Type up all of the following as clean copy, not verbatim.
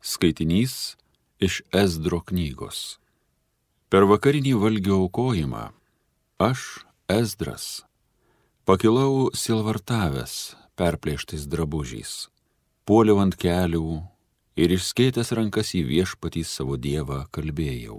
Skaitinys iš Ezdro knygos. Per vakarinį valgio aukojimą aš, Ezdras, pakilau silvartavęs perplėštais drabužiais, puoliau ant kelių ir išskėtęs rankas į Viešpatį savo Dievą kalbėjau.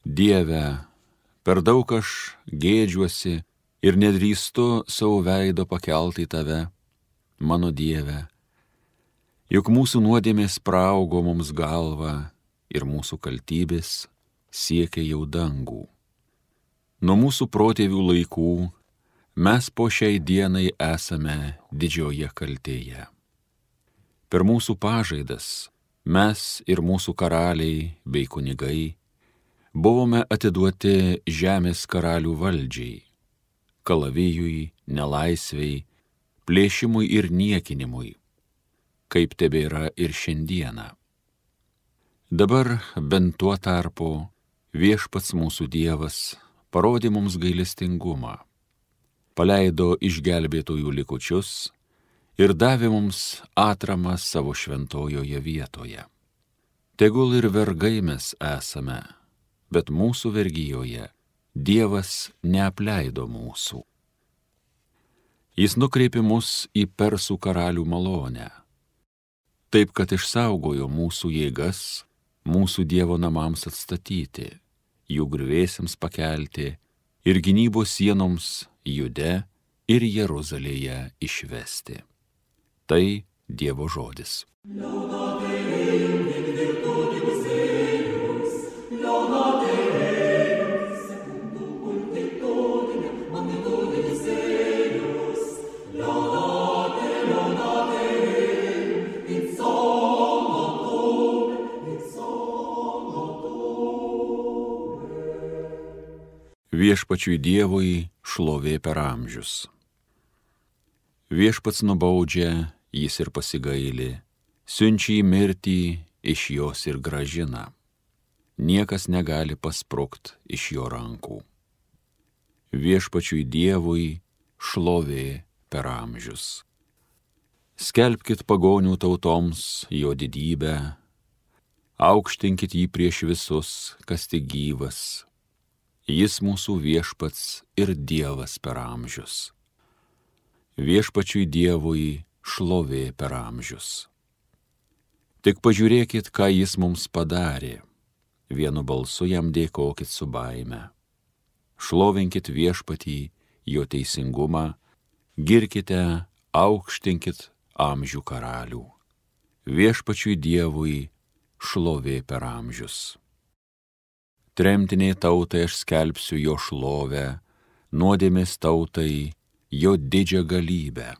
Dieve, per daug aš gėdžiuosi ir nedrįstu savo veido pakelti į tave, mano Dieve, juk mūsų nuodėmės praaugo mums galvą ir mūsų kaltybės siekia jau dangų. Nuo mūsų protėvių laikų mes po šiai dienai esame didžioje kaltėje. Per mūsų pažaidas mes ir mūsų karaliai bei kunigai buvome atiduoti žemės karalių valdžiai, kalavijui, nelaisvei, plėšimui ir niekinimui, kaip tebėra ir šiandieną. Dabar bent tuo tarpu Viešpats mūsų Dievas parodė mums gailestingumą, paleido išgelbėtojų likučius ir davė mums atramą savo šventojoje vietoje. Tegul ir vergai mes esame, bet mūsų vergijoje Dievas neapleido mūsų. Jis nukreipė mus į persų karalių malonę, taip kad išsaugojo mūsų jėgas, mūsų Dievo namams atstatyti, jų griuvėsiams pakelti ir gynybos sienoms Jude ir Jeruzalėje išvesti. Tai Dievo žodis. Viešpačiui Dievui šlovė per amžius. Viešpats nubaudžia, jis ir pasigaili, siunčia į mirtį, iš jos ir grąžina. Niekas negali pasprukt iš jo rankų. Viešpačiui Dievui šlovė per amžius. Skelbkit pagonių tautoms jo didybę, aukštinkit jį prieš visus, kas tik gyvas. Jis mūsų Viešpats ir Dievas per amžius. Viešpačiui Dievui šlovė per amžius. Tik pažiūrėkit, ką jis mums padarė. Vienu balsu jam dėkokit su baime. Šlovinkit Viešpatį, jo teisingumą, girkite, aukštinkit amžių karalių. Viešpačiui Dievui šlovė per amžius. Tremtiniai tautai aš skelbsiu jo šlovę, nuodėmės tautai jo didžią galybę.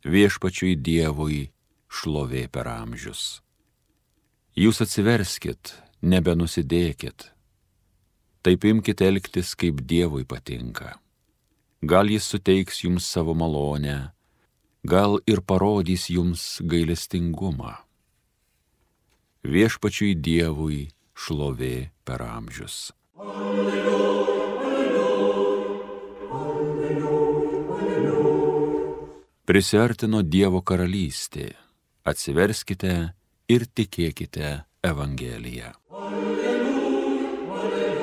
Viešpačiui Dievui šlovė per amžius. Jūs atsiverskit, nebenusidėkit. Taip imkite elgtis, kaip Dievui patinka. Gal jis suteiks jums savo malonę, gal ir parodys jums gailestingumą. Viešpačiui Dievui šlovė per amžius. Alleluja, alleluja, alleluja, alleluja. Prisiartino Dievo karalystė. Atsiverskite ir tikėkite Evangeliją. Alleluja, alleluja.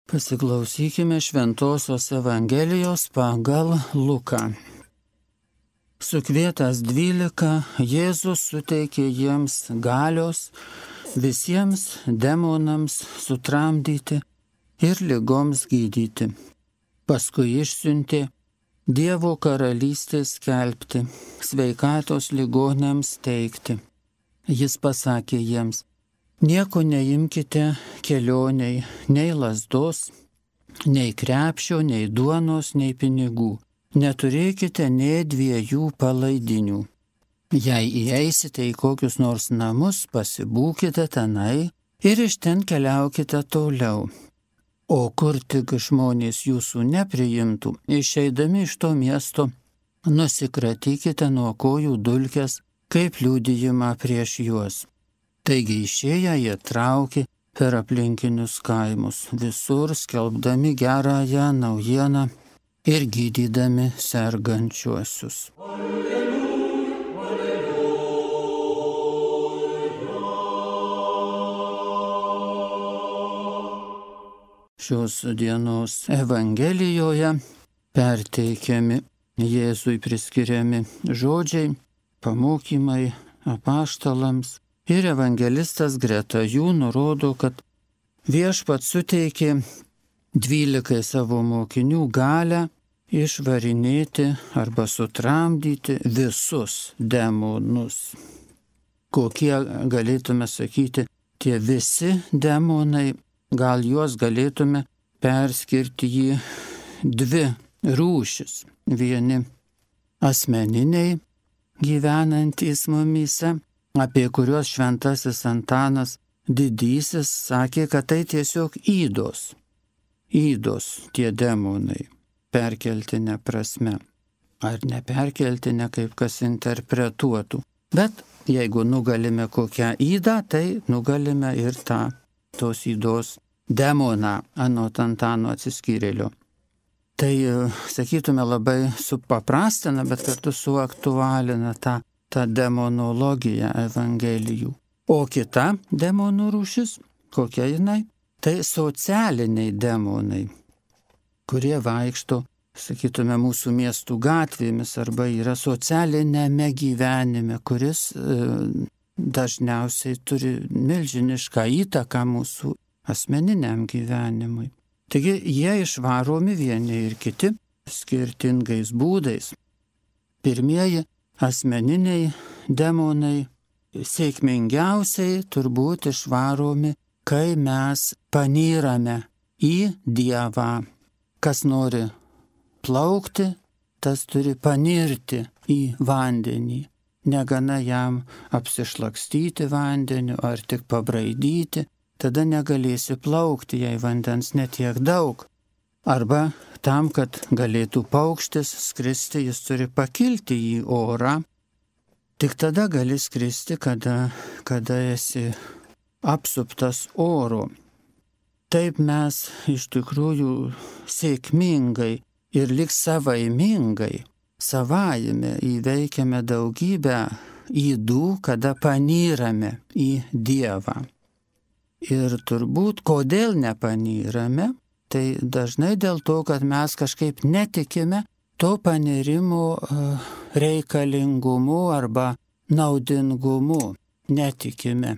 Pasiklausykime Šventosios Evangelijos pagal Luką. Sukvietęs 12, Jėzus suteikė jiems galios visiems demonams sutramdyti ir ligoms gydyti. Paskui išsiuntė Dievo karalystės skelbti, sveikatos ligoniams teikti. Jis pasakė jiems: nieko neimkite kelioniai, nei lazdos, nei krepšio, nei duonos, nei pinigų. Neturėkite nė 2 palaidinių. Jei įeisite į kokius nors namus, pasibūkite tenai ir iš ten keliaukite toliau. O kur tik žmonės jūsų nepriimtų, išeidami iš to miesto, nusikratykite nuo kojų dulkes, kaip liudijimą prieš juos. Taigi išėję jie traukė per aplinkinius kaimus, visur skelbdami gerąją naujieną ir gydydami sergančiuosius. Šios dienos Evangelijoje perteikiami Jėzui priskiriami žodžiai, pamokymai apaštalams ir evangelistas greta jų nurodo, kad Viešpats suteikė 12 savo mokinių galią išvarinėti arba sutramdyti visus demonus. Kokie galėtume sakyti tie visi demonai, gal juos galėtume perskirti į 2 rūšis. Vieni asmeniniai gyvenantys mumyse, apie kuriuos šventasis Antanas Didysis sakė, kad tai tiesiog ydos tie demonai, perkeltine prasme, ar neperkeltine, kaip kas interpretuotų. Bet jeigu nugalime kokią ydą, tai nugalime ir tos ydos demoną, anot Antano atsiskyrėlio. Tai, sakytume, labai supaprastina, bet kartu suaktualina tą demonologiją Evangelijų. O kita demonų rūšis, kokia jinai? Tai socialiniai demonai, kurie vaikšto, sakytume, mūsų miestų gatvėmis arba yra socialinėme gyvenime, kuris dažniausiai turi milžinišką įtaką mūsų asmeniniam gyvenimui. Taigi jie išvaromi vieni ir kiti skirtingais būdais. Pirmieji asmeniniai demonai sėkmingiausiai turbūt išvaromi, kai mes panyrame į Dievą. Kas nori plaukti, tas turi panirti į vandenį. Negana jam apsišlakstyti vandeniu ar tik pabraidyti. Tada negalėsi plaukti, jei vandens netiek daug. Arba tam, kad galėtų paukštis skristi, jis turi pakilti į orą. Tik tada gali skristi, kada esi apsuptas oro. Taip mes iš tikrųjų sėkmingai ir lyg savaimingai, savaime įveikiame daugybę ydų, kada panyrame į Dievą. Ir turbūt, kodėl nepanyrame, tai dažnai dėl to, kad mes kažkaip netikime to panirimo reikalingumu arba naudingumu. Netikime.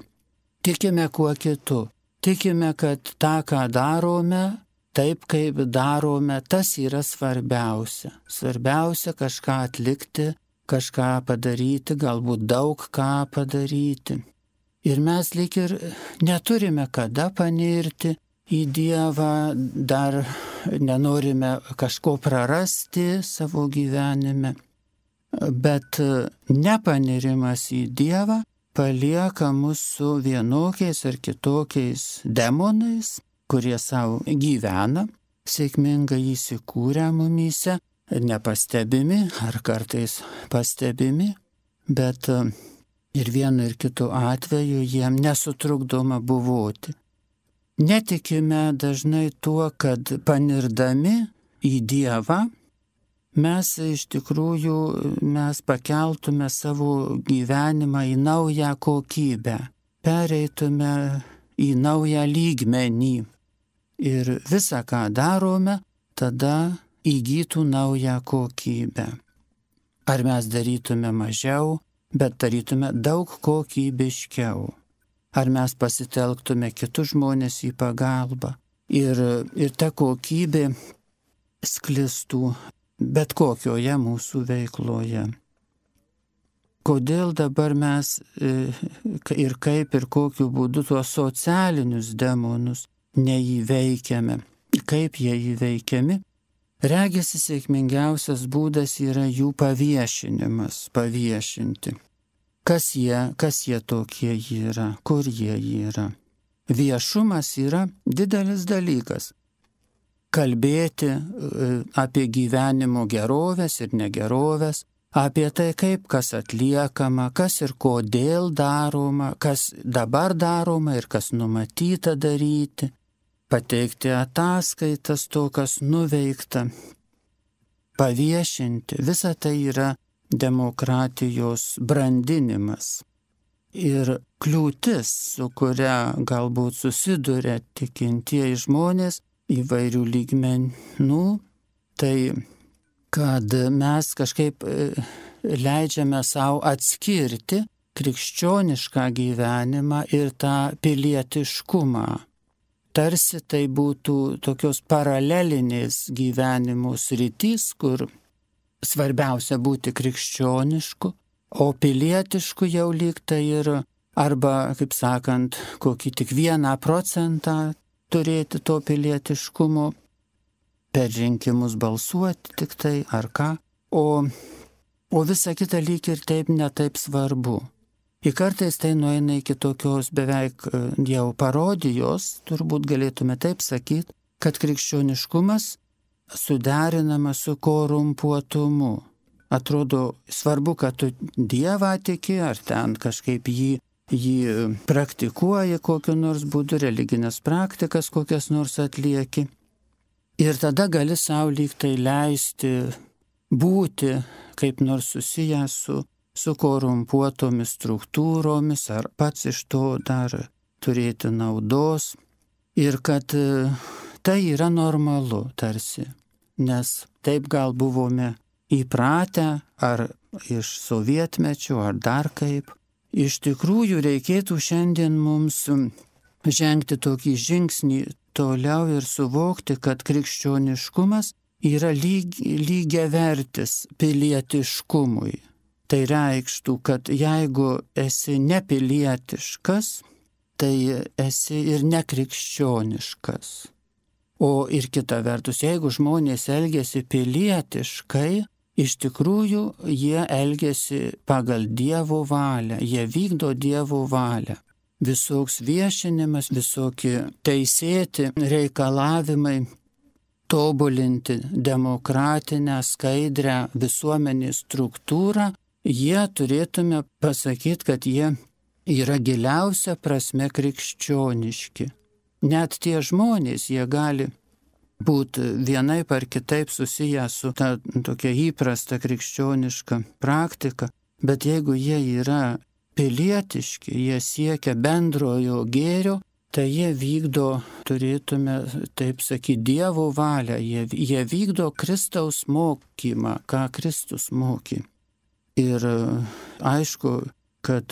Tikime kuo kitu. Tikime, kad tą, ką darome, taip kaip darome, tas yra svarbiausia. Svarbiausia kažką atlikti, kažką padaryti, galbūt daug ką padaryti. Ir mes lyg ir neturime kada panirti į Dievą, dar nenorime kažko prarasti savo gyvenime. Bet nepanirimas į Dievą palieka mus su vienokiais ar kitokiais demonais, kurie savo gyvena, sėkmingai įsikūrę mumyse, nepastebimi ar kartais pastebimi, bet ir vienu ir kitu atveju jiem nesutrukdoma buvoti. Netikime dažnai tuo, kad panirdami į Dievą mes iš tikrųjų pakeltume savo gyvenimą į naują kokybę, pereitume į naują lygmenį ir visą, ką darome, tada įgytų naują kokybę. Ar mes darytume mažiau, bet darytume daug kokybiškiau. Ar mes pasitelktume kitus žmonės į pagalbą ir ta kokybė sklistų bet kokioje mūsų veikloje. Kodėl dabar mes ir kaip ir kokiu būdu tuos socialinius demonus neįveikiame? Kaip jie įveikiami? Regisi sėkmingiausias būdas yra jų paviešinimas, paviešinti. Kas jie tokie yra, kur jie yra. Viešumas yra didelis dalykas. Kalbėti apie gyvenimo gerovės ir negerovės, apie tai, kaip kas atliekama, kas ir kodėl daroma, kas dabar daroma ir kas numatyta daryti, pateikti ataskaitas to, kas nuveikta, paviešinti. Visa tai yra demokratijos brandinimas. Ir kliūtis, su kuria galbūt susiduria tikintieji žmonės įvairių lygmenų, tai kad mes kažkaip leidžiame savo atskirti krikščionišką gyvenimą ir tą pilietiškumą. Tarsi tai būtų tokios paralelinės gyvenimo sritys, kur svarbiausia būti krikščionišku, o pilietišku jau lyg tai ir arba, kaip sakant, kokį tik 1% turėti to pilietiškumo, per rinkimus balsuoti tik tai ar ką, o visa kita lyg ir taip netaip svarbu. Ir kartais tai nueina iki tokios beveik jau parodijos, turbūt galėtume taip sakyti, kad krikščioniškumas suderinamas su korumpuotumu. Atrodo svarbu, kad tu Dievą tiki, ar ten kažkaip jį praktikuoji kokiu nors būdu, religinės praktikas kokias nors atlieki. Ir tada gali savo lyg tai leisti būti kaip nors susijęs su korumpuotomis struktūromis, ar pats iš to dar turėti naudos. Ir kad tai yra normalu tarsi, nes taip gal buvome įpratę, ar iš sovietmečių, ar dar kaip. Iš tikrųjų reikėtų šiandien mums žengti tokį žingsnį toliau ir suvokti, kad krikščioniškumas yra lygiavertis pilietiškumui. Tai reikštų, kad jeigu esi nepilietiškas, tai esi ir nekrikščioniškas. O ir kita vertus, jeigu žmonės elgiasi pilietiškai, iš tikrųjų jie elgiasi pagal Dievo valią, jie vykdo Dievo valią. Visoks viešinimas, visokie teisėti reikalavimai, tobulinti demokratinę, skaidrią visuomenės struktūrą, jie turėtume pasakyti, kad jie yra giliausia prasme krikščioniški. Net tie žmonės, jie gali būti vienaip ar kitaip susiję su ta tokia įprasta krikščioniška praktika, bet jeigu jie yra pilietiški, jie siekia bendrojo gėrio, tai jie vykdo, turėtume taip sakyti, Dievo valią, jie vykdo Kristaus mokymą, ką Kristus mokė. Ir aišku, kad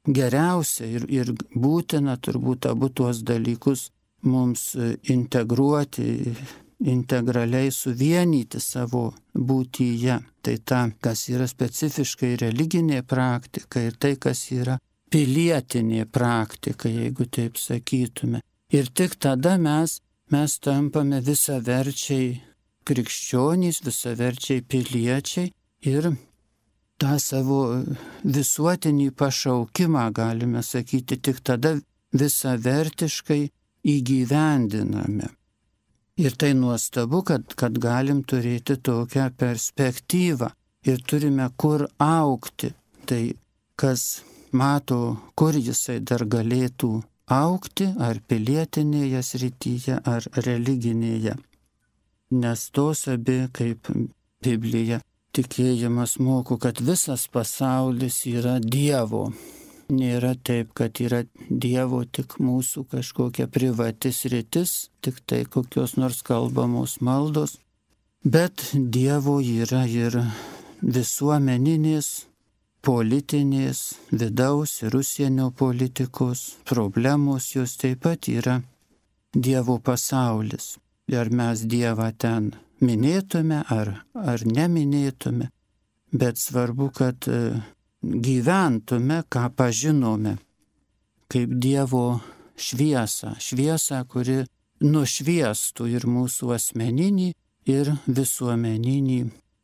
geriausia ir būtina turbūt abu tuos dalykus mums integruoti, integraliai suvienyti savo būtyje. Tai ta, kas yra specifiškai religinė praktika ir tai, kas yra pilietinė praktika, jeigu taip sakytume. Ir tik tada mes tampame visaverčiai krikščionys, visaverčiai piliečiai ir tą savo visuotinį pašaukimą, galime sakyti, tik tada visavertiškai įgyvendiname. Ir tai nuostabu, kad galim turėti tokią perspektyvą ir turime kur augti. Tai kas mato, kur jisai dar galėtų augti, ar pilietinėje srityje, ar religinėje. Nes tos abi, kaip Biblija, tikėjimas moko, kad visas pasaulis yra Dievo. Nėra taip, kad yra Dievo tik mūsų kažkokia privati sritis, tik tai kokios nors kalbamos maldos, bet Dievo yra ir visuomeninės, politinės, vidaus ir užsienio politikos problemos, jos taip pat yra Dievo pasaulis. Ar mes Dievą ten minėtume ar neminėtume, bet svarbu, kad gyventume, ką pažinome, kaip Dievo šviesą, kuri nušviestų ir mūsų asmeninį, ir visuomeninį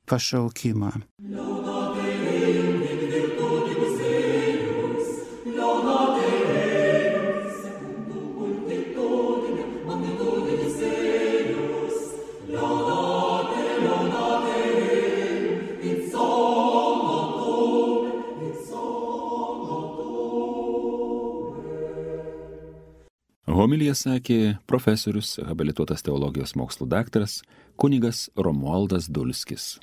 pašaukimą. It's all Homiliją sakė profesorius, habilituotas teologijos mokslų daktaras kunigas Romualdas Dulskis.